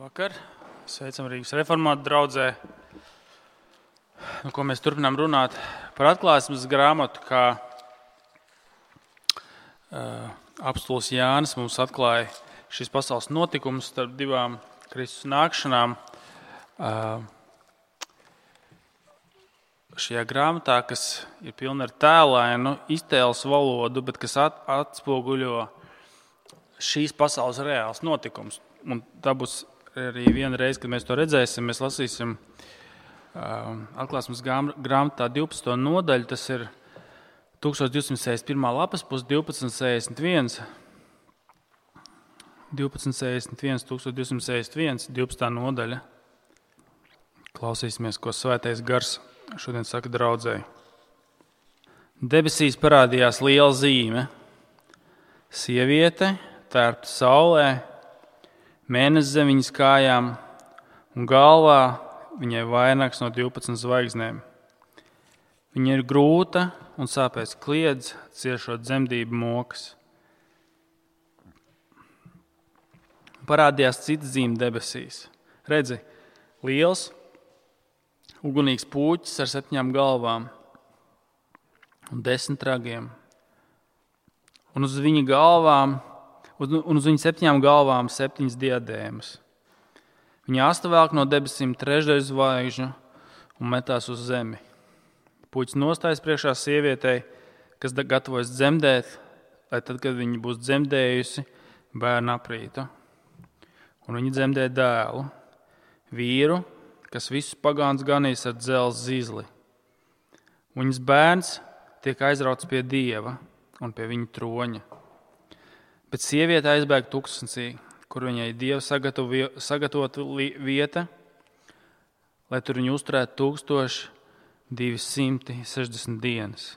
Labvakar! Sveicam Rīgas reformātu draudzē, ko mēs turpinām runāt par atklāsmes grāmatu, kā apostols Jānis mums atklāja šīs pasaules notikumus starp divām Kristus nākšanām. Šajā grāmatā, kas ir pilna ar tēlainu, iztēles valodu, bet kas atspoguļo šīs pasaules reāls notikums. Un tā būs arī viena reize, kad mēs to redzēsim, mēs lasīsim atklāsmes grāmatā 12. nodaļu, tas ir 1261. lapas pus 1261, 1261, 12. nodaļa. Klausīsimies, ko Svētais Gars šodien saka draudzēji. Debesīs parādījās liela zīme. Sieviete, tērpta saulē, mēnesis zem viņas kājām un galvā viņai vainags no 12 zvaigznēm. Viņa ir grūta un sāpēs kliedz, ciešot dzemdību mokas. Parādījās cita zīme debesīs. Redzi, liels, ugunīgs pūķis ar 7 galvām un 10 ragiem. Un uz viņa galvām, un uz viņa 7 galvām 7 diadēmas. Viņa asta velk no debesīm 3 zvaigžņu un metās uz zemi. Puķis nostājas priekšā sievietei, kas gatavojas dzemdēt, lai tad, kad viņa būs dzemdējusi, bērnu aprītu. Un viņa dzemdē dēlu, vīru, kas visus pagāns ganīs ar dzelzs zīzli. Viņas bērns tiek aizrauts pie Dieva un pie viņa troņa. Bet sieviete aizbēg tuksnesī, kur viņai Dieva sagatavota vieta, lai tur viņu uzturētu 1260 dienas.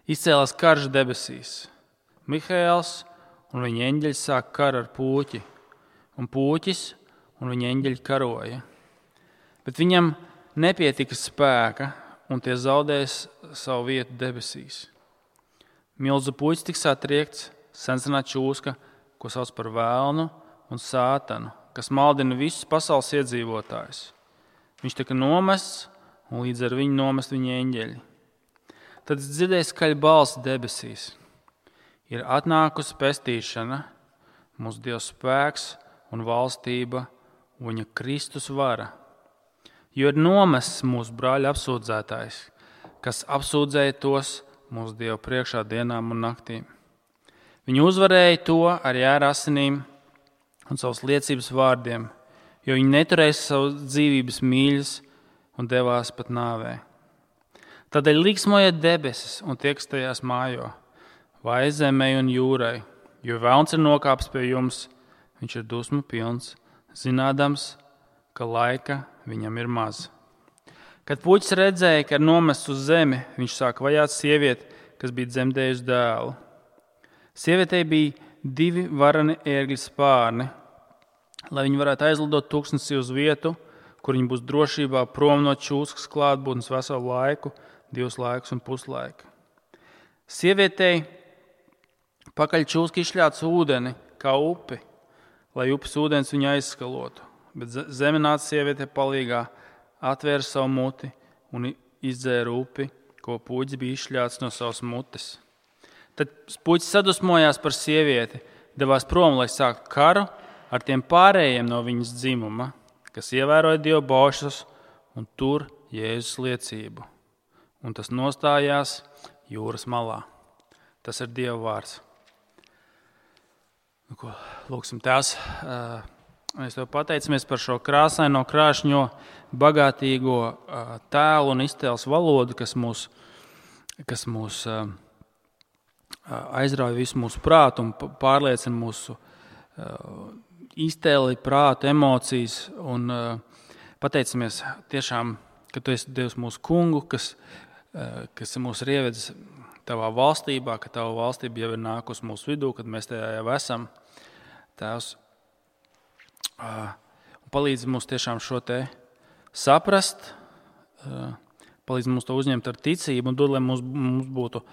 Izcēlās karš debesīs. Mihaēls un viņa eņģeļi sāk karu ar pūķi, un pūķis un viņa eņģeļi karoja. Bet viņam nepietika spēka, un tie zaudēs savu vietu debesīs. Milzu puķis tiks atriekts, sensenā čūska, ko sauc par vēlnu un sātanu, kas maldina visus pasaules iedzīvotājus. Viņš tika nomests, un līdz ar viņu nomest viņa eņģeļi. Tad es dzirdēju skaļu balsi debesīs. Ir atnākusi pestīšana, mūsu Dieva spēks un valstība, un viņa Kristus vara. Jo ir nomests mūsu brāļa apsūdzētājs, kas apsūdzēja tos mūsu Dieva priekšā dienām un naktīm. Viņi uzvarēja to arī ar asinīm un savas liecības vārdiem, jo viņi neturēja savu dzīvības mīļas un devās pat nāvē. Tādēļ liksmojiet debesis un tie, kas tajās mājo, vai zemei un jūrai, jo velns ir nokāpis pie jums, viņš ir dusmu pilns, zinādams, ka laika viņam ir maz. Kad puķis redzēja, ka ir nomests uz zemi, viņš sāk vajāt sievieti, kas bija dzemdējusi dēlu. Sievietei bija 2 varani ērgļu spārni, lai viņi varētu aizlidot tuksnesī uz vietu, kur viņi būs drošībā prom no čūskas klātbūtnes veselu laiku, 2 laikus un puslaiku. Sievietei pakaļ čūska izšļāca ūdeni kā upi, lai upes ūdens viņu aizskalotu, bet zeme nāca sievietei palīgā, atvēra savu muti un izdzēra upi, ko puķis bija izšļāts no savas mutes. Tad puķis sadusmojās par sievieti, devās prom, lai sāktu karu ar tiem pārējiem no viņas dzimuma, kas ievēroja Dieva baušļus un tur Jēzus liecību. Un tas nostājās jūras malā. Tas ir Dieva vārds. Lūksim, Tēvs, mēs Tev pateicamies par šo krāsaino, krāšņo, bagātīgo tēlu un iztēles valodu, kas mūs aizrauja visu mūsu prātu un pārliecina mūsu iztēli, prātu, emocijas. Un pateicamies tiešām, ka Tu esi Dievs mūsu kungu, kas mūs ir ievedis Tavā valstībā, ka Tava valstība jau ir nākusi mūsu vidū, kad mēs tajā jau esam. Tēvs, palīdzi mums tiešām šo te saprast, palīdzi mums to uzņemt ar ticību un dod, lai mums būtu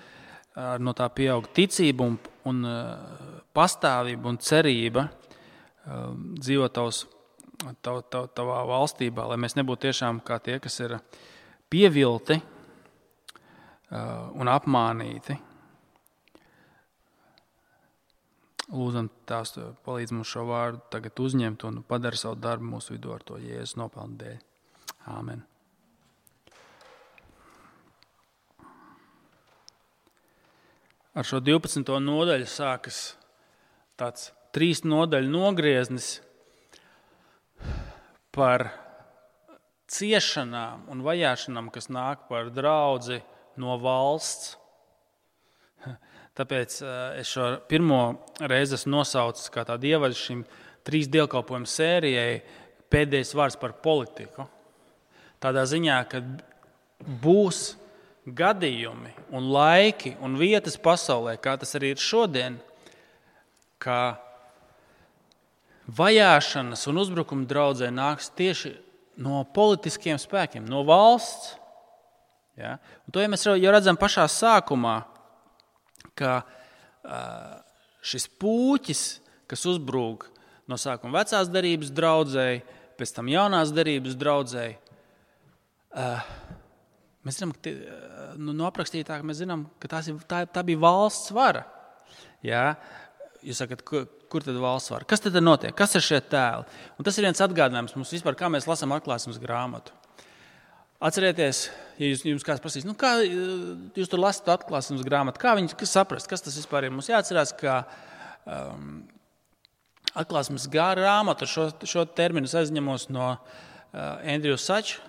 no tā pieaug ticība un pastāvība un cerība dzīvo tavā valstībā, lai mēs nebūtu tiešām kā tie, kas ir pievilti un apmānīti. Lūdzam, tās palīdz mums šo vārdu tagad uzņemt un padara savu darbu mūsu vidū ar to Jēzus nopelnu dēļ. Āmen. Ar šo 12. nodaļu sākas tāds 3 nodaļu nogrieznis par ciešanām un vajāšanām, kas nāk par draudzi no valsts. Tāpēc es šo pirmo reizi esmu nosaucis kā tādu ievadu šim 3 dievkalpojumu sērijai pēdējais vārds par politiku. Tādā ziņā, ka būs gadījumi un laiki un vietas pasaulē, kā tas arī ir šodien, ka vajāšanas un uzbrukuma draudzē nāks tieši no politiskiem spēkiem, no valsts. Ja? Un to ja mēs jau redzam pašā sākumā, ka šis puķis, kas uzbrūk no sākuma vecās derības draudzēji, pēc tam jaunās derības draudzēji, mēs zinām, no aprakstītāk mēs zinām, ka tā bija valsts vara. Ja? Jūs sakat, kur tad valsts vara? Kas tad notiek? Kas ir šie tēli? Un tas ir viens atgādinājums mums vispār, kā mēs lasām atklāsmes grāmatu. Atcerieties, ja jums kāds prasīs, kā jūs tur lasat atklāsmes grāmatu, kā viņi saprast, kas tas vispār ir? Mums jāatcerās, ka atklāsmes grāmatu, šo terminu aizņemos no Andrew Sachs,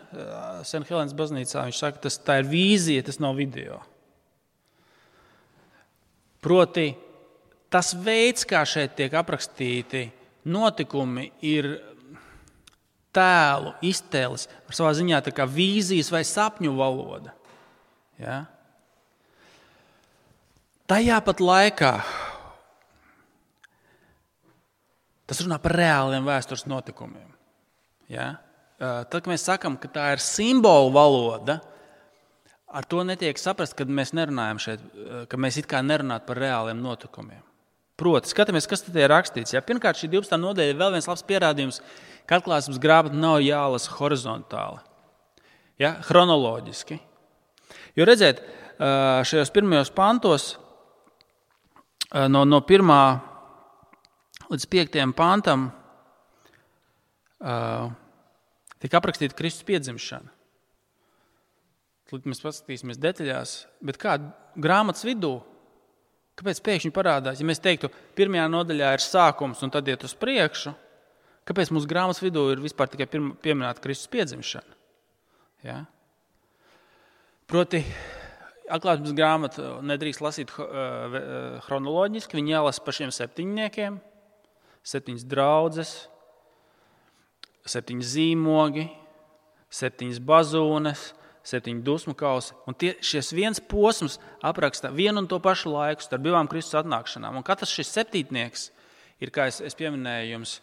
St. Helens baznīcā. Viņš saka, tā ir vīzija, tas nav video. Proti, tas veids, kā šeit tiek aprakstīti notikumi, ir tēlu, iztēles, ar savā ziņā tā kā vīzijas vai sapņu valoda. Ja? Tajā pat laikā tas runā par reāliem vēstures notikumiem. Ja? Tad, kad mēs sakam, ka tā ir simbolu valoda, ar to netiek saprast, kad mēs nerunājam šeit, ka mēs it kā nerunājam par reāliem notikumiem. Proti, skatāmies, kas tad ir rakstīts. Ja? Pirmkārt, šī 12. nodaļa ir vēl viens labs pierādījums, ka atklāsmes grāmata nav jālasa horizontāli, ja? Chronoloģiski. Jo redziet, šajos pirmajos pantos, no 1. līdz 5. pantam, tiek aprakstīta Kristus piedzimšana. Tad mēs paskatīsimies detaļās, bet kā grāmatas vidū, kāpēc pēkšņi parādās? Ja mēs teiktu, 1. nodaļā ir sākums un tad iet uz priekšu, kāpēc mūsu grāmatas vidū ir vispār tikai pieminēta Kristus piedzimšana? Ja? Proti, atklāsmes grāmatu nedrīkst lasīt chronoloģiski, viņi jālasa pa šiem 7, 7 draudzes, 7 zīmogi, 7 bazūnes, 7 dusmu kausi. Un šis viens posms apraksta vienu un to pašu laiku starp 2 Kristus atnākšanām. Un katrs šis 7. ir, kā es pieminēju jums,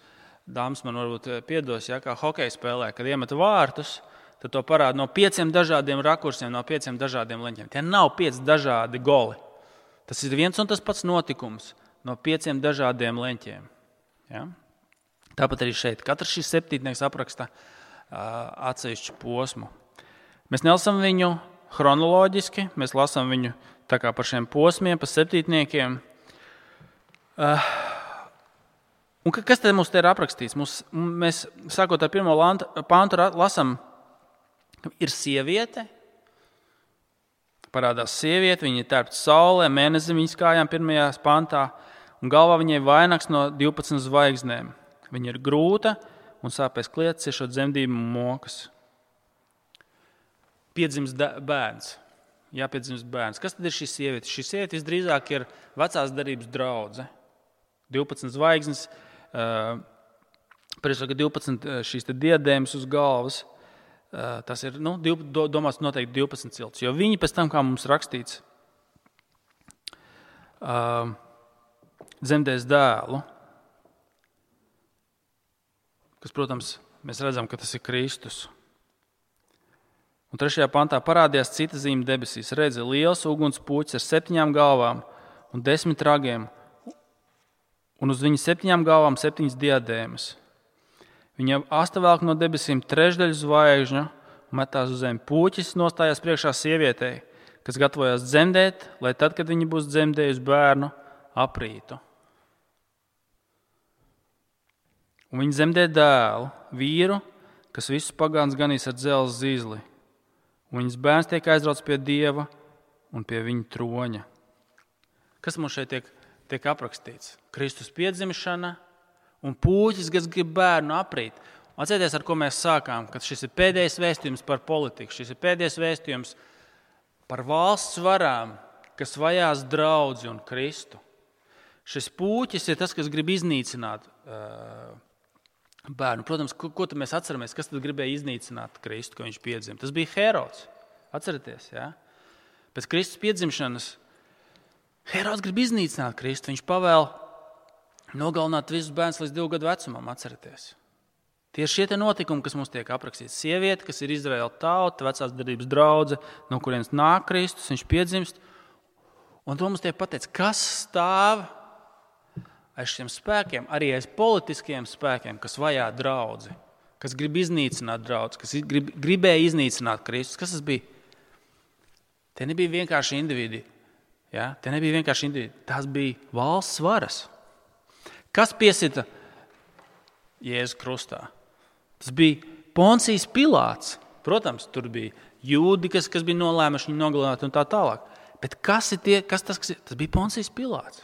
dāmas man varbūt piedos, ja, kā hokeja spēlē, kad iemet vārtus, tad to parāda no 5 dažādiem rakursiem, no 5 dažādiem leņķiem. Tie nav 5 dažādi goli. Tas ir viens un tas pats notikums no 5 dažādiem leņķiem. Ja? Tāpat arī šeit. Katrs šis 7. apraksta atsevišķu posmu. Mēs nelasām viņu chronoloģiski, mēs lasām viņu tā kā par šiem posmiem, pa 7. Un kas tad mums te ir aprakstīts? Mēs, sākot ar 1. pantu, lasām, ir sieviete, parādās sieviete, viņa ir tērpta saulē, mēnesi viņas kājām 1. pantā, un galvā viņai vainags no 12 zvaigznēm. Viņa ir grūta un sāpēs kliedz, ciešot dzemdību mokas. Piedzimst bērns. Jāpiedzimst bērns. Kas tad ir šī sieviete? Šī sieviete visdrīzāk ir vecās derības draudze. 12 zvaigznes, priekšsaka 12 šīs diadēmas uz galvas. Tas ir, domās noteikti 12 cilts. Jo viņi pēc tam, kā mums rakstīts, dzemdēs dēlu, kas, protams, mēs redzam, ka tas ir Kristus. Un 3. pantā parādījās cita zīme debesīs. Redzi, liels uguns puķis ar 7 galvām un 10 ragiem, un uz viņa 7 galvām 7 diadēmas. Viņa asta velk no debesīm trešdaļu zvaigžņu un metās uz zemi. Pūķis nostājās priekšā sievietei, kas gatavojās dzemdēt, lai tad, kad viņa būs dzemdējusi bērnu, aprītu. Un viņa dzemdē dēlu, vīru, kas visus pagāns ganīs ar dzelzs zīzli. Un viņas bērns tiek aizrauts pie Dieva un pie viņa troņa. Kas mums šeit tiek aprakstīts? Kristus piedzimšana un pūķis, kas grib bērnu aprīt. Atcerieties, ar ko mēs sākām, ka šis ir pēdējais vēstījums par politiku, šis ir pēdējais vēstījums par valsts varām, kas vajās draudzi un Kristu. Šis pūķis ir tas, kas grib iznīcināt bērnu. Protams, ko tad mēs atceramies, kas tad gribēja iznīcināt Kristu, ka viņš piedzima? Tas bija Herods. Atcerieties, jā? Pēc Kristus piedzimšanas Herods grib iznīcināt Kristu. Viņš pavēl nogalināt visus bērnus līdz 2 gadu vecumam, atcerieties. Tie ir šie notikumi, kas mums tiek aprakstīti. Sieviete, kas ir Izraēla tauta, vecās darbības draudze, no kurienes nāk Kristus, viņš piedzimst. Un to mums tiek pateikts, kas stāv aiz šiem spēkiem, arī aiz politiskiem spēkiem, kas vajā draudzi, kas grib iznīcināt draudzi, kas gribēja iznīcināt Kristus. Kas tas bija? Tie nebija vienkārši individi. Ja? Tie nebija vienkārši individi. Tās bija valsts varas. Kas piesita Jēzu krustā? Tas bija Poncijs Pilāts. Protams, tur bija jūdi, kas bija nolēmuši viņu nogalināt un tā tālāk. Bet kas bija Poncijs Pilāts?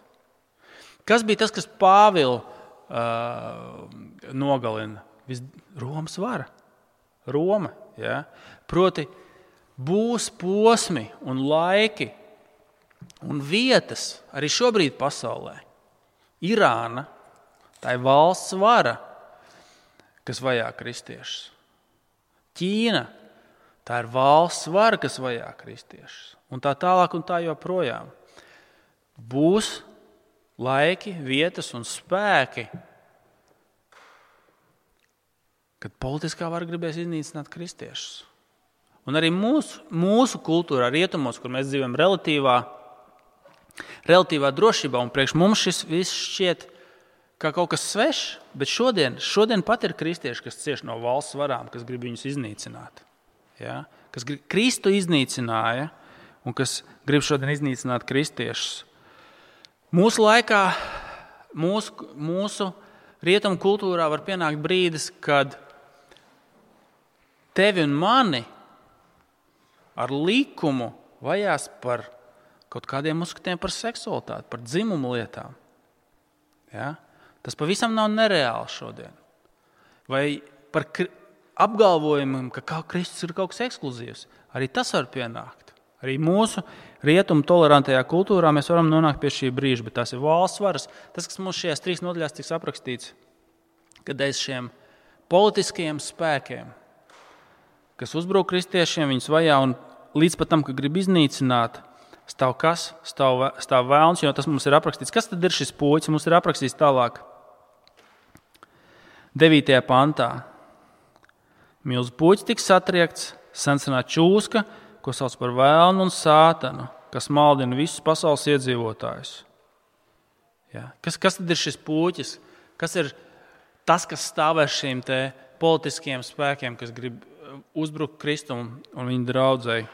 Kas bija tas, kas Pāvilu nogalina? Romas vara. Roma. Ja? Proti, būs posmi un laiki un vietas arī šobrīd pasaulē. Irāna, tā ir valsts vara, kas vajā kristiešus. Ķīna, tā ir valsts vara, kas vajā kristiešus. Un tā tālāk un tā joprojām. Būs laiki, vietas un spēki, kad politiskā vara gribēs iznīcināt kristiešus. Un arī mūsu kultūrā, rietumos, kur mēs dzīvojam relatīvā drošībā, un priekš mums šis viss šķiet kā kaut kas svešs, bet šodien pat ir kristieši, kas cieš no valsts varām, kas grib viņus iznīcināt. Ja? Kas Kristu iznīcināja un kas grib šodien iznīcināt kristiešus. Mūsu laikā, mūsu rietumu kultūrā var pienākt brīdis, kad tevi un mani ar likumu vajās par kaut kādiem uzskatiem par seksualitāti, par dzimumu lietām. Ja? Tas pavisam nav nereāli šodien. Vai par apgalvojumiem, ka Kristus ir kaut kas ekskluzīvs. Arī tas var pienākt. Arī mūsu rietumu tolerantajā kultūrā mēs varam nonākt pie šī brīža, bet tās ir valsts varas. Tas, kas mums šajās 3 nodaļās tiks aprakstīts, kad aiz šiem politiskajiem spēkiem, kas uzbruk kristiešiem, viņus vajā un līdz pat tam, ka grib iznīcināt, stāv kas? Stāv vēlns, jo tas mums ir aprakstīts. Kas tad ir šis pūķis? Mums ir aprakstīts tālāk 9. pantā. Milzu pūķis tiks satriekts, sensenā čūska, ko sauc par vēlnu un sātanu, kas maldina visus pasaules iedzīvotājus. Ja. Kas tad ir šis pūķis? Kas ir tas, kas stāv ar šīm te politiskiem spēkiem, kas grib uzbrukt Kristum un viņa draudzei?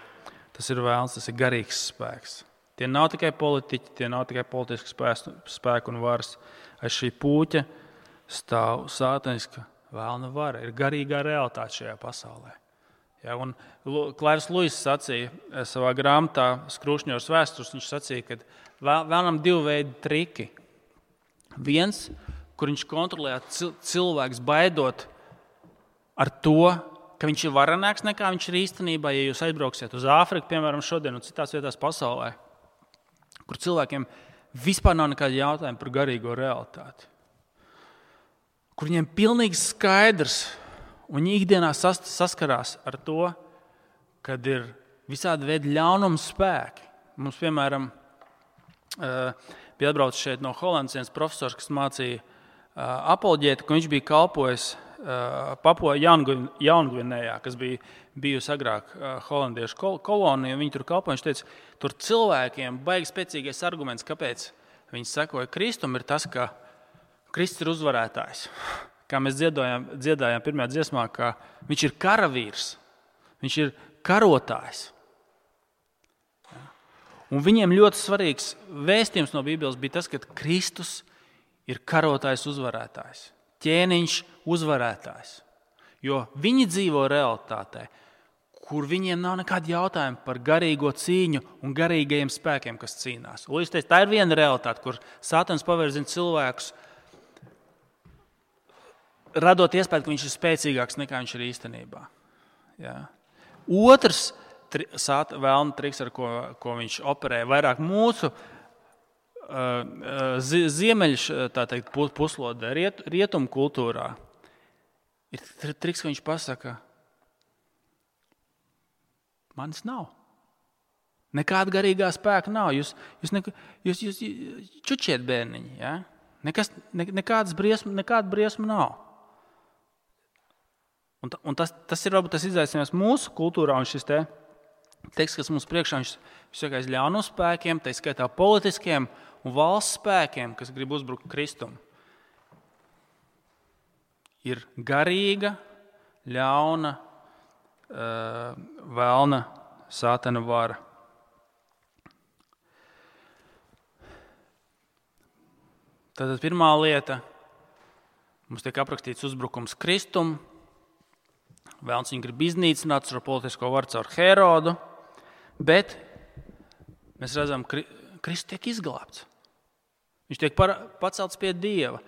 Tas ir vēlns, tas ir garīgs spēks. Tie nav tikai politiķi, tie nav tikai politiski spēki un varas. Aiz šī pūķa stāv sātaniska vēlna vara. Ir garīgā realitāte šajā pasaulē. Ja, un Klairs Luis sacīja savā grāmatā Skrūšņos vēstures, viņš sacīja, ka vēlnam 2 veidi triki. Viens, kur viņš kontrolē cilvēks baidot ar to, ka viņš ir varenāks nekā viņš ir īstenībā, ja jūs aizbrauksiet uz Āfriku, piemēram, šodien un citās vietās pasaulē, kur cilvēkiem vispār nav nekāda jautājuma par garīgo realitāti. Kur viņiem pilnīgi skaidrs, un viņi ikdienā saskarās ar to, kad ir visādi veidi ļaunuma spēki. Mums, piemēram, bija atbraucis šeit no Holandas viens profesors, kas mācīja apoloģētu, ka viņš bija kalpojis Papua Jaungvinējā, kas bija bijusi agrāk holandiešu kolonija, viņi tur kalpoja. Viņš teica, tur cilvēkiem baigi spēcīgais arguments, kāpēc viņi sekoja Kristum, ir tas, ka Kristus ir uzvarētājs. Kā mēs dziedājām pirmajā dziesmā, ka viņš ir karavīrs, viņš ir karotājs. Un viņiem ļoti svarīgs vēstījums no Bībeles bija tas, ka Kristus ir karotājs uzvarētājs, ķēniņš uzvarētājs. Jo viņi dzīvo realitātē, kur viņiem nav nekāda jautājuma par garīgo cīņu un garīgajiem spēkiem, kas cīnās. Un, tā ir viena realitāte, kur Sātans pavērzina cilvēkus, radot iespēju, ka viņš ir spēcīgāks nekā viņš ir īstenībā. Jā. Otrs vēlna triks, ar ko viņš operē, vairāk mūsu ziemeļu puslodē, rietumu kultūrā, ir triks, ka viņš pasaka, manis nav. Nekāda garīgā spēka nav. Jūs čučiet bērniņi. Ja? Nekāda briesma nav. Un tas ir varbūt tas izaicinājums mūsu kultūrā, un šis teksts, kas mums priekšā, viņš sakās ļaunu spēkiem, tā skaitā politiskiem un valsts spēkiem, kas grib uzbrukt Kristum. Ir garīga, ļauna, vēlna, Sātana vara. Tātad pirmā lieta, mums tiek aprakstīts uzbrukums Kristum, vēlns viņu grib iznīcināt ar politisko varu caur Herodu, bet mēs redzam, Kristus tiek izglābts. Viņš tiek pacelts pie Dieva.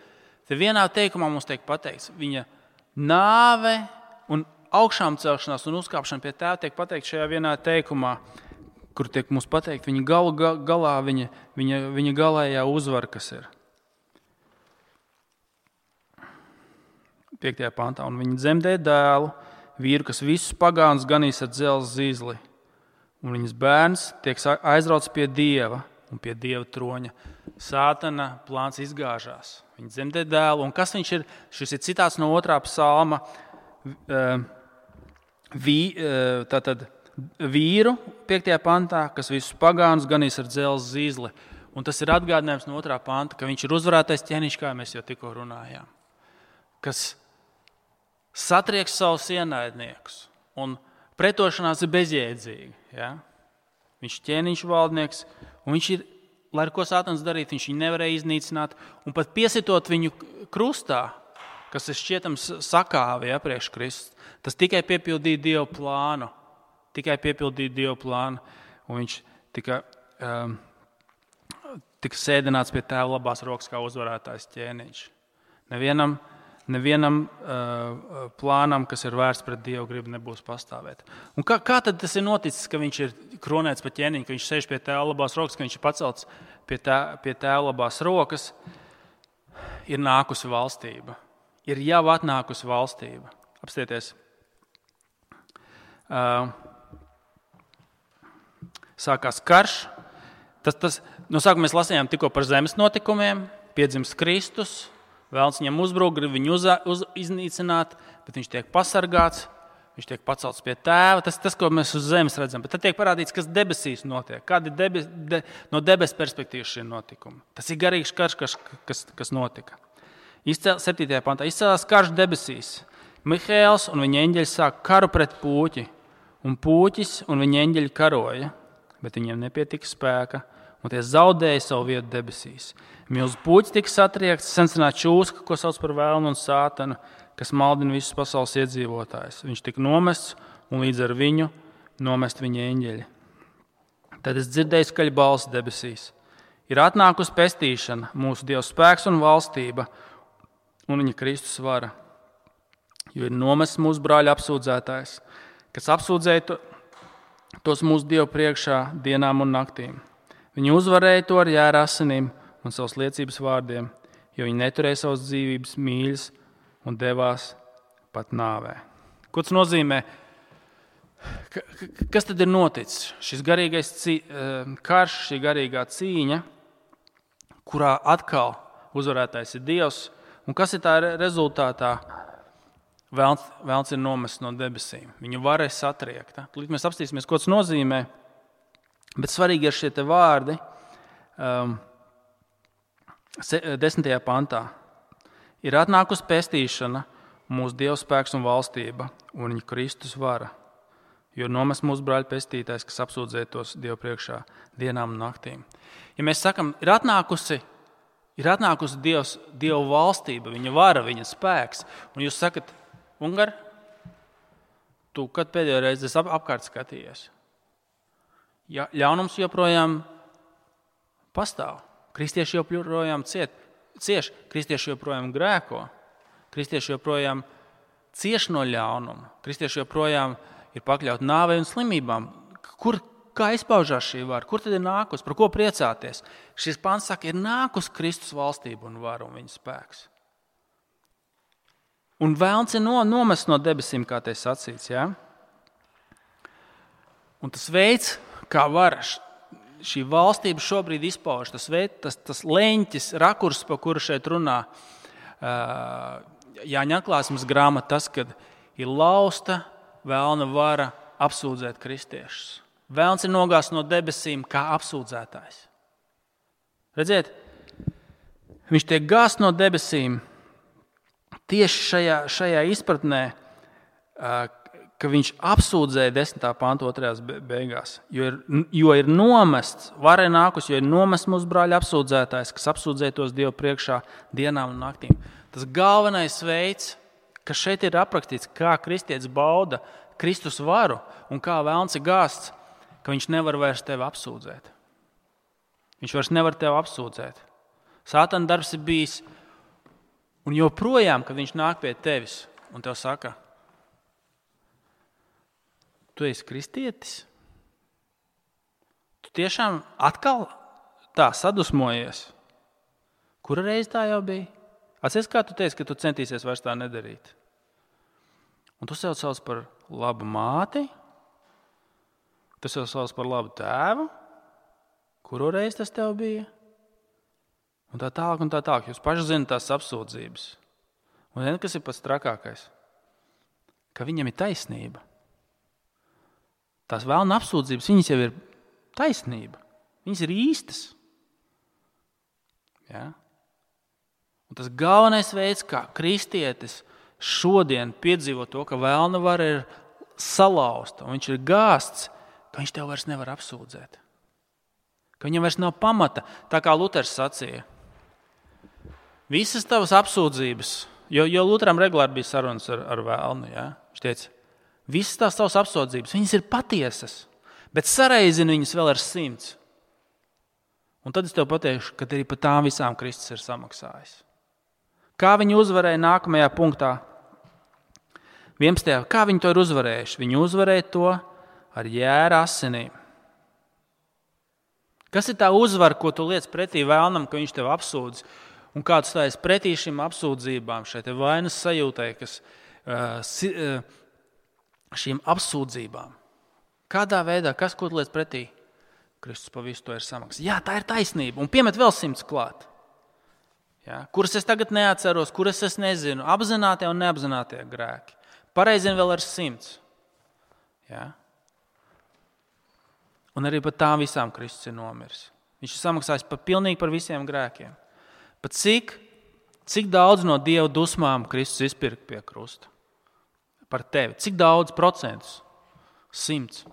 Te vienā teikumā mums tiek pateikts, viņa nāve un augšām celšanās un uzkāpšana pie Tēva tiek pateikt šajā vienā teikumā, kur tiek mums pateikt viņa galā, viņa galējā uzvara, kas ir. 5. pantā. Un viņa dzemdē dēlu, vīru, kas visus pagānus ganīs ar dzelzs zīzli. Un viņas bērns tiek aizrauts pie Dieva un pie Dieva troņa. Sātana plāns izgāžās. Viņa dzemdē dēlu. Un kas viņš ir? Šis ir citāts no 2. psalma. Tātad vīru 5. pantā, kas visus pagānus ganīs ar dzelzs zīzli. Un tas ir atgādinājums no 2. panta, ka viņš ir uzvarētais ķēniņš, kā mēs jau tikko runājām. Kas satrieks savus ienaidniekus. Un pretošanās ir bezjēdzīga. Ja? Viņš ir ķēniņš valdnieks, un viņš ir, lai ar ko Sātans darīt, viņš viņu nevarēja iznīcināt. Un pat piesitot viņu krustā, kas ir šķietams sakāvi priekš Kristus, tas tikai piepildīja Dieva plānu. Un viņš tika sēdināts pie Tēva labās rokas kā uzvarētājs ķēniņš. Nevienam plānam, kas ir vērsts pret Dievu gribu, nebūs pastāvēt. Un kā tad tas ir noticis, ka viņš ir kronēts pa ķēniņu, ka viņš sēž pie Tēva labās rokas, ka viņš ir pacelts pie Tēva labās rokas? Ir nākusi valstība. Ir jau atnākusi valstība. Apstieties. Sākās karš. No sākuma mēs lasījām tikko par zemes notikumiem. Piedzimst Kristus. Vēlns viņam uzbruk, grib viņu iznīcināt, bet viņš tiek pasargāts. Viņš tiek pacelts pie Tēva. Tas, ko mēs uz zemes redzam. Bet tad tiek parādīts, kas debesīs notiek. Kādi no debesu perspektīvas šie notikumi. Tas ir garīgs karš, kas notika. 7. pantā. Izcēlās karš debesīs. Mihaēls un viņa eņģeļi sāk karu pret Pūķi. Un Pūķis un viņa eņģeļi karoja, bet viņiem nepietika spēka, un tie zaudēja savu vietu debesīs. Milzu Pūķis tika satriekts, sensenā čūska, ko sauc par vēlnu un Sātanu, kas maldina visus pasaules iedzīvotājus. Viņš tika nomests, un līdz ar viņu nomest viņa eņģeļi. Tad es dzirdēju skaļu balsi debesīs. Ir atnākusi pestīšana, mūsu Dieva spēks un valstība, un viņa Kristus vara. Jo ir nomests mūsu brāļa apsūdzētājs, kas apsūdzēja tos mūsu Dievu priekšā dienām un naktīm. Viņi uzvarēja to ar jēra asinīm un savas liecības vārdiem, jo viņi neturēja savas dzīvības mīļas un devās pat nāvē. Ko tas nozīmē? Kas tad ir noticis? Šis garīgais karš, šī garīgā cīņa, kurā atkal uzvarētājs ir Dievs, un kas ir tā rezultātā? Vēlns ir nomests no debesīm. Viņu vara ir satriekta. Līdz mēs apstīsimies, ko tas nozīmē. Bet svarīgi ir šie te vārdi 10. pantā. ir atnākusi pestīšana, mūsu Dieva spēks un valstība un viņa Kristus vara. Jo nomest mūsu brāļa pestītājs, kas apsūdzētos Dievu priekšā dienām un naktīm. Ja mēs sakam, ir atnākusi Dieva valstība, viņa vara, viņa spēks, un jūs sakat, Ungar, tu kad pēdējo reizi esi apkārt skatījies? Ja, ļaunums joprojām pastāv. Kristieši joprojām cieš, kristieši joprojām grēko, kristieši joprojām cieš no ļaunuma, kristieši joprojām ir pakļauti nāvei un slimībām. Kā izpaužās šī vara? Kur tad ir nākus? Par ko priecāties? Šis pants saka, ir nākus Kristus valstība un vara un viņa spēks. Un vēlns ir nomests no debesīm, kā te sacīts. Ja? Un tas veids, kā vara šī valstība šobrīd izpauž, tas leņķis, rakurs, pa kuru šeit runā Jāņa atklāsmes grāmata, tas, kad ir lausta vēlna vara apsūdzēt kristiešus. Vēlns ir nogāsts no debesīm kā apsūdzētājs. Redziet, viņš tiek gāsts no debesīm tieši šajā izpratnē, ka viņš apsūdzēja 10. panta 2. beigās. Jo ir nomests, vara ir nākus, jo ir nomests mūsu brāļa apsūdzētājs, kas apsūdzētos Dievu priekšā dienām un naktīm. Tas galvenais veids, kas šeit ir aprakstīts, kā kristietis bauda Kristus varu un kā vēlns ir gāsts, ka viņš nevar vairs tevi apsūdzēt. Viņš vairs nevar tevi apsūdzēt. Sātana darbs ir bijis, un joprojām, kad viņš nāk pie tevis un tev saka, tu esi kristietis? Tu tiešām atkal tā sadusmojies? Kura reize tā jau bija? Atceries, kā tu teici, ka tu centīsies vairs tā nedarīt? Un tu sev sauc par labu māti? Tu sev sauc par labu tēvu? Kuru reizi tas tev bija? Un tā tālāk un tā tālāk. Jūs paši zināt tās apsūdzības. Un zini, kas ir pats trakākais? Ka viņam ir taisnība. Tās vēlna apsūdzības, viņas jau ir taisnība. Viņas ir īstas. Ja? Un tas galvenais veids, kā kristietis šodien piedzīvo to, ka vēlna vara ir salauzta un viņš ir gāsts, ka viņš tev vairs nevar apsūdzēt. Ka viņam vairs nav pamata, tā kā Luters sacīja. Visas tavas apsūdzības, jo Luteram regulāri bija sarunas ar vēlnu, ja? Viņš teica, visas tavas apsūdzības, viņas ir patiesas, bet sareizini viņas vēl ar 100. Un tad es tev pateikšu, ka arī par tām visām Kristus ir samaksājis. Kā viņi uzvarēja nākamajā punktā? 11. Kā viņi to ir uzvarējuši? Viņi uzvarēja to ar jēra asinīm. Kas ir tā uzvara, ko tu liec pretī vēlnam, ka viņš tev apsūdz? Un kā tu stājies pretī šīm apsūdzībām, šai te vainas sajūtai, kas šīm apsūdzībām? Kādā veidā, ko tu liec pretī? Kristus pa visu to ir samaksājis. Jā, tā ir taisnība. Un piemet vēl 100 klāt. Ja? Kuras es tagad neatceros, kuras es nezinu. Apzinātie un neapzinātie grēki. Pareizini vēl ar 100. Ja? Un arī par tām visām Kristus ir nomiris. Viņš ir samaksājis pilnīgi par visiem grēkiem. Pat cik daudz no Dieva dusmām Kristus izpirka pie krusta? Par tevi. Cik daudz procentus? 100.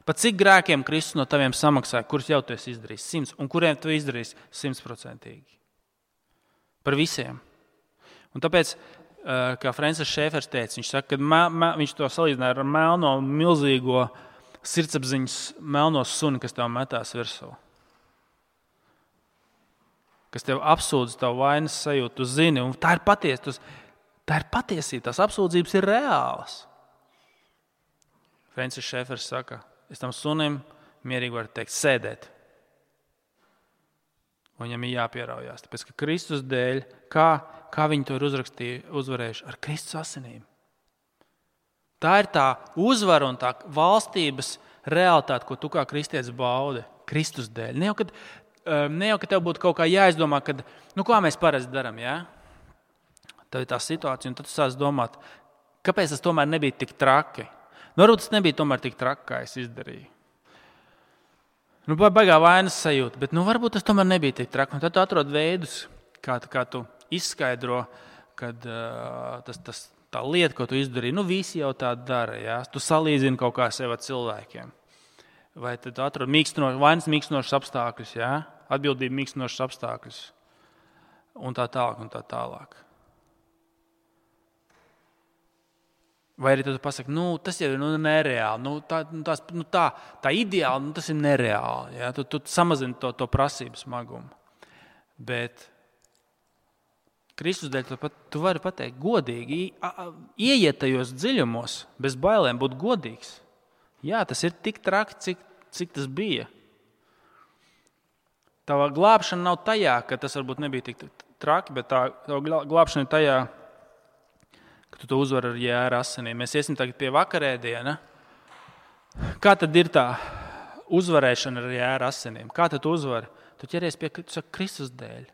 Pat cik grēkiem Kristus no taviem samaksāja, kurus jau tu esi izdarījis? 100. Un kuriem tu izdarīsi 100%? Par visiem. Un tāpēc, kā Francis Šēfers teica, viņš saka, ka viņš to salīdzināja ar melno, milzīgo sirdsapziņas melno suni, kas tev metās virsū. Kas tev apsūdz tavu vainas sajūtu, tu zini, un tā ir patiesība, tās apsūdzības ir reālas. Francis Šēfers saka, es tam sunim mierīgi varu teikt, sēdēt. Un viņam ir jāpieraujās, tāpēc, ka Kristus dēļ, kā viņi to ir uzvarējuši ar Kristus asinīm. Tā ir tā uzvara un tā valstības realitāte, ko tu kā kristietis baudi Kristus dēļ. Ne jau, ka tev būtu kaut kā jāizdomā, kad, kā mēs parasti darām, ja? Tev ir tā situācija, un tad tu sāc domāt, kāpēc tas tomēr nebija tik traki. Varbūt tas nebija tomēr tik traki, kā es izdarīju. Baigā vainas sajūta, bet varbūt tas tomēr nebija tik traki. Un tad tu atrod veidus, kā tu izskaidro, kad tā lieta, ko tu izdarīji, visi jau tā dara. Ja? Tu salīdzini kaut kā sev ar cilvēkiem. Vai tad atrod vainas mīkstinošas apstākļus, ja? Atbildību mīkstinošas apstākļus un tā tālāk un tā tālāk. Vai arī tu pasaki, tas jau ir nereāli, tā ideāli, tas ir nereāli. Ja? Tu samazini to prasību smagumu. Bet Kristus dēļ tu vari pateikt godīgi, ieiet tajos dziļumos, bez bailēm būt godīgs. Jā, tas ir tik traki, cik tas bija. Tava glābšana nav tajā, ka tas varbūt nebija tik traki, bet tava glābšana ir tajā, ka tu to uzvari ar jēra asinīm. Mēs iesim tagad pie vakarēdiena. Kā tad ir tā uzvarēšana ar jēra asinīm? Kā tad tu uzvari? Tu ķeries pie Kristus dēļ.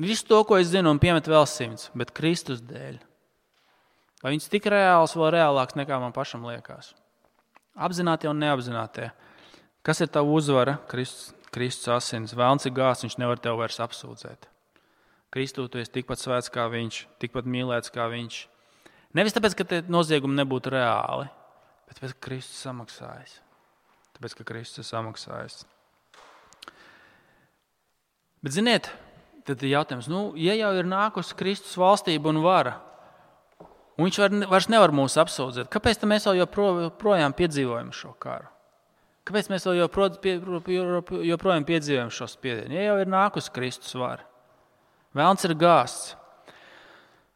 Visu to, ko es zinu, un piemet vēl 100, bet Kristus dēļ. Vai viņš tik reāls, vēl reālāks nekā man pašam liekas? Apzinātie un neapzinātie. Kas ir tava uzvara? Kristus asins. Velns ir gāzts, viņš nevar tev vairs apsūdzēt. Kristū, tu esi tikpat svēts kā viņš, tikpat mīlēts kā viņš. Nevis tāpēc, ka tie noziegumi nebūtu reāli, bet tāpēc, ka Kristus samaksājis. Tāpēc, ka Kristus ir samaksājis. Bet ziniet, tad ir jautājums, ja jau ir nākusi Kristus valstība un vara, un viņš vairs nevar mūs apsūdzēt, kāpēc mēs vēl joprojām piedzīvojam šo karu? Kāpēc mēs vēl joprojām piedzīvojam šo spiedienu? Ja jau ir nākusi Kristus vara, velns ir gāzts.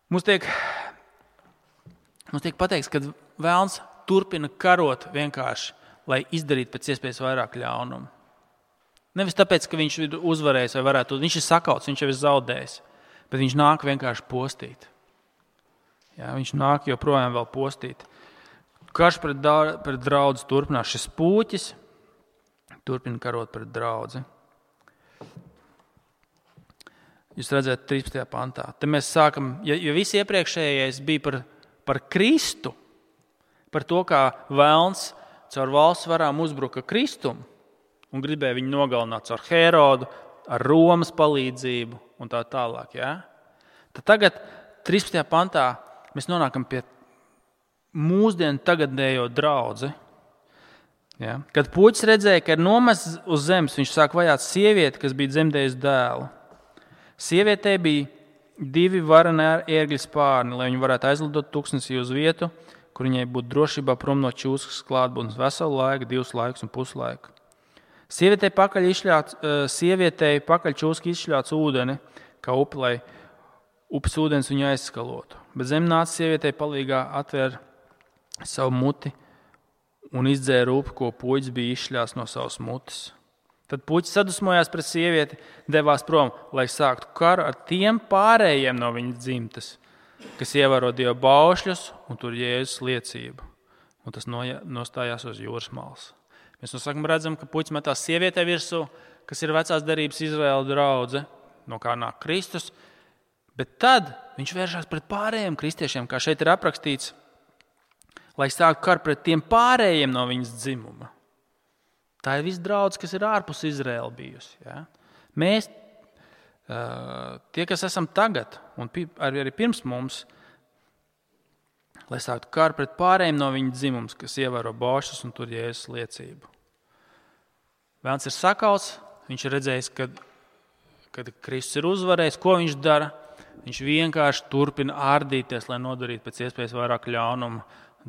Mums tiek pateikts, ka velns turpina karot vienkārši, lai izdarītu pēc iespējas vairāk ļaunumu. Nevis tāpēc, ka viņš ir uzvarējis vai varētu, viņš ir sakauts, viņš jau ir zaudējis, bet viņš nāk vienkārši postīt. Jā, viņš nāk joprojām vēl postīt. Karš pret draudzi turpinās. Šis pūķis turpina karot pret draudzi. Jūs redzat 13. pantā. Te mēs sākam, ja visi iepriekšējais bija par Kristu, par to, kā velns caur valsts varām uzbruka Kristumu un gribēja viņu nogalināt caur Herodu, ar Romas palīdzību un tā tālāk. Ja? Tad tagad 13. pantā mēs nonākam pie mūsdienu tagadējo draudzi. Ja? Kad puķis redzēja, ka ir nomests uz zemes, viņš sāk vajāt sievieti, kas bija dzemdējusi dēlu. Sievietei bija 2 vareni ērgļu spārni, lai viņi varētu aizlidot tuksnesī uz vietu, kur viņai būtu drošībā prom no čūskas klātbūtnes veselu laiku, 2 laikus un puslaiku. Sievietei pakaļ čūska izšļāts ūdeni, kā upi, lai upes ūdens viņu aizskalotu. Bet zem nāca sievietei palīgā atvēra savu muti un izdzēra upi, ko puķis bija izšļāts no savas mutes. Tad puķis sadusmojās pret sievieti, devās prom, lai sāktu karu ar tiem pārējiem no viņas dzimtes, kas ievēro Dieva baušļus un tur Jēzus liecību. Un tas nostājās uz jūras malas. Mēs no sākuma redzam, ka puķis metās sievietē virsū, kas ir vecās derības Izraēla draudze, no kā nāk Kristus, bet tad viņš vēršās pret pārējiem kristiešiem, kā šeit ir aprakstīts, lai sāktu karu pret tiem pārējiem no viņas dzimuma. Tā ir viss draudze, kas ir ārpus Izraēla bijusi. Ja? Mēs, tie, kas esam tagad, un arī pirms mums, lai sāktu karu pret pārējiem no viņa dzimums, kas ievēro baušļus un tur Jēzus liecību. Velns ir sakauts, viņš ir redzējis, kad Kristus ir uzvarējis, ko viņš dara. Viņš vienkārši turpina ārdīties, lai nodarītu pēc iespējas vairāk ļaunumu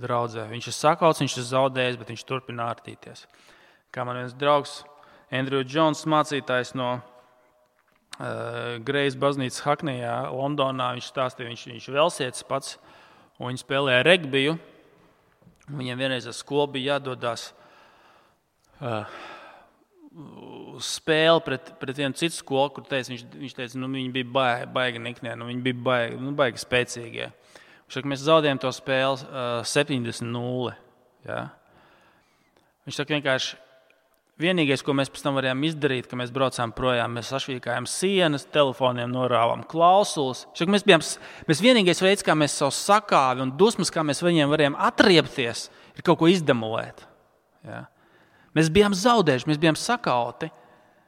draudzē. Viņš ir sakauts, viņš ir zaudējis, bet viņš turpina ārdīties. Kā man viens draugs, Andrew Jones, mācītājs no Grejas baznīcas Haknijā, Londonā, viņš stāstīja, viņš velsietis pats, un viņi spēlēja regbiju. Viņiem vienreiz ar skolu bija jādodās spēli pret vienu citu skolu, kur viņš teica, viņi bija baigi niknie, viņi bija baigi spēcīgie. Viņš saka, mēs zaudējām to spēli 70-0. Ja? Viņš saka, vienkārši vienīgais, ko mēs pēc tam varējām izdarīt, ka mēs braucām projām, mēs sašvīkājām sienas, telefoniem norāvām klausulas. Viņš saka, mēs vienīgais veids, kā mēs savu sakāvi un dusmas, kā mēs viņiem varējām atriepties, ir kaut ko izdemolēt. Ja? Mēs bijām zaudējuši, mēs bijām sakauti,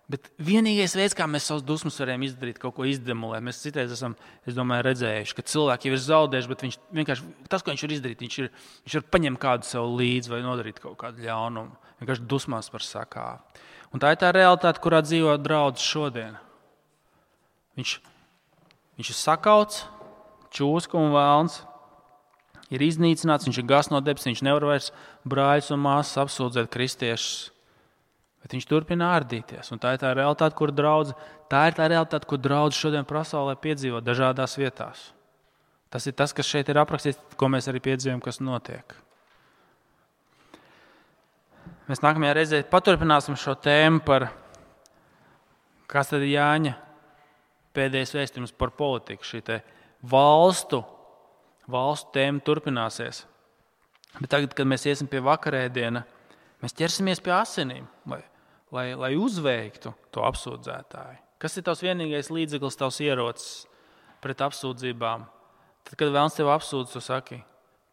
Bet vienīgais veids, kā mēs savus dusmas varam izdarīt, kaut ko izdemolēt, mēs citreiz esam, es domāju, redzējuši, ka cilvēki jau ir zaudējuši, bet viņš vienkārši, tas, ko viņš ir izdarīt, viņš var paņemt kādu sev līdzi vai nodarīt kaut kādu ļaunumu. Vienkārši dusmās par sakāvi. Un tā ir tā realitāte, kurā dzīvo draudzes šodien. Viņš ir sakauts, čūska un vēlns, ir iznīcināts, viņš ir gāzts no debesīm, viņš nevar vairs brāļus un māsas apsūdzēt kristiešus. Bet viņš turpina ārdīties. Un tā ir tā realitāte, kur draudze šodien pasaulē piedzīvo dažādās vietās. Tas ir tas, kas šeit ir aprakstīts, ko mēs arī piedzīvojam, kas notiek. Mēs nākamajā reizē paturpināsim šo tēmu par, kas tad ir Jāņa pēdējais vēstījums par politiku. Šī te valstu tēma turpināsies. Bet tagad, kad mēs iesim pie vakarēdiena, mēs ķersimies pie asinīm, lai uzveiktu to apsūdzētāju. Kas ir tavs vienīgais līdzeklis, tavs ierocis pret apsūdzībām? Tad, kad vēlns tev apsūdz, tu saki,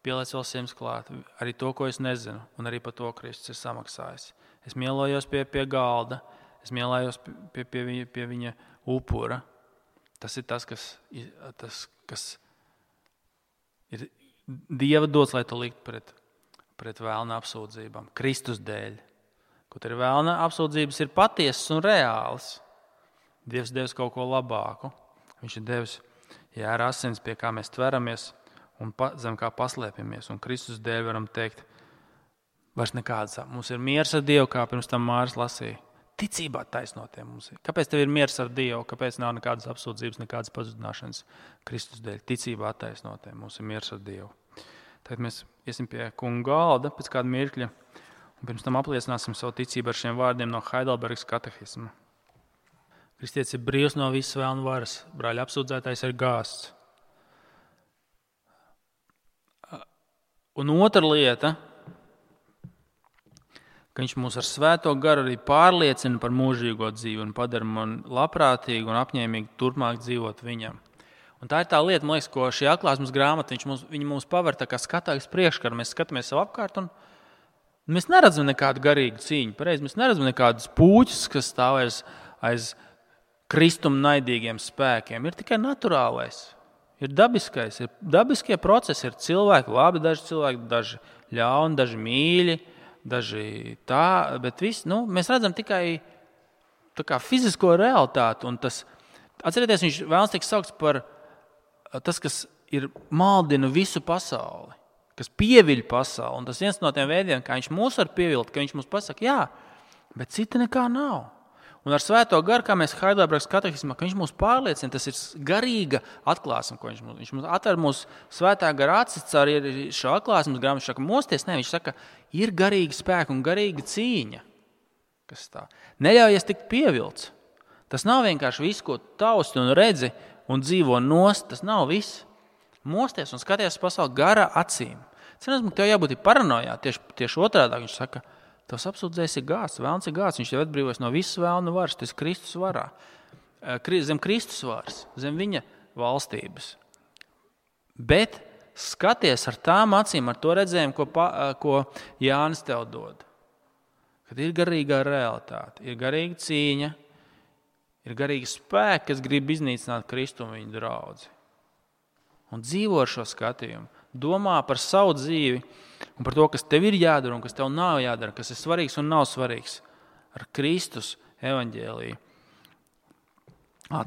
pieliec vēl 100 klāt, arī to, ko es nezinu, un arī par to Kristus ir samaksājis. Es mielojos pie galda, es mielojos pie viņa upura. Tas ir tas, kas ir Dieva dots, lai tu likt pret vēlna apsūdzībām, Kristus dēļ. Kaut arī vēlna apsūdzības ir patiesas un reālas. Dievs devis kaut ko labāku. Viņš ir devis jēra asins, pie kā mēs tveramies un zem kā paslēpjamies. Un Kristus dēļ varam teikt, vairs nekādas. Mums ir miers ar Dievu, kā pirms tam Māris lasīja. Ticībā taisnotie mums ir. Kāpēc tev ir miers ar Dievu? Kāpēc nav nekādas apsūdzības, nekādas pazudināšanas Kristus dēļ? Ticībā attaisnotie mums ir miers ar Dievu. Tad mēs iesim pie kunga galda pēc kāda mirkļa un pirms tam apliecināsim savu ticību ar šiem vārdiem no Heidelbergas katehisma. Kristietis ir brīvs no visas vēlna varas. Brāļa apsūdzētājs ir gāzts. Un otra lieta, ka viņš mūs ar svēto garu arī pārliecina par mūžīgo dzīvi un padara man labprātīgi un apņēmīgi turpmāk dzīvot viņam. Un tā ir tā lieta, man liekas, ko šī atklāsmes grāmata, viņa mums paver tā kā skatājas priekškaru. Mēs skatāmies sev apkārt un mēs neredzam nekādu garīgu cīņu. Pareizi, mēs neredzam nekādus puķus, kas stāv aiz kristuma naidīgiem spēkiem. Ir tikai naturālais, ir dabiskais, ir dabiskie procesi, ir cilvēki labi, daži ļauni, daži mīļi, daži tā, bet mēs redzam tikai tā kā fizisko realitāti. Un atcerieties, viņš vēlas tiek saukts par tas, kas ir maldina visu pasauli, kas pieviļ pasauli. Un tas viens no tiem veidiem, kā viņš mūs var pievilt, ka viņš mums pasaka, jā, bet cita nekā nav. Un ar svēto garu, kā mēs Heidelbergas katehismā, ka viņš mūs pārliecina, tas ir garīga atklāsme, ko viņš mums atver mūsu svētā gara acis caur šo atklāsmes grāmatu. Viņš saka, mosties, ne, viņš saka, ir garīga spēka un garīga cīņa. Kas tā? Neļaujies tikt pievilts. Tas nav vienkārši viss, ko tausti un redzi un dzīvo nost, tas nav viss. Mosties un skaties pasauli gara acīm. Cienās, tev jābūt paranojā, tieši otrādā. Viņš saka, tavs apsūdzējs ir gāzts, vēlns ir gāzts, viņš tev atbrīvojas no visas vēlna varas, tas ir Kristus varā. Zem Kristus varas, zem viņa valstības. Bet skaties ar tām acīm, ar to redzējumu, ko Jānis tev dod. Kad ir garīgā realitāte, ir garīga cīņa, ir garīgi spēki, kas grib iznīcināt Kristu un viņa draudzi. Un dzīvo ar šo skatījumu. Domā par savu dzīvi un par to, kas tev ir jādara un kas tev nav jādara, kas ir svarīgs un nav svarīgs. Ar Kristus evaņģēliju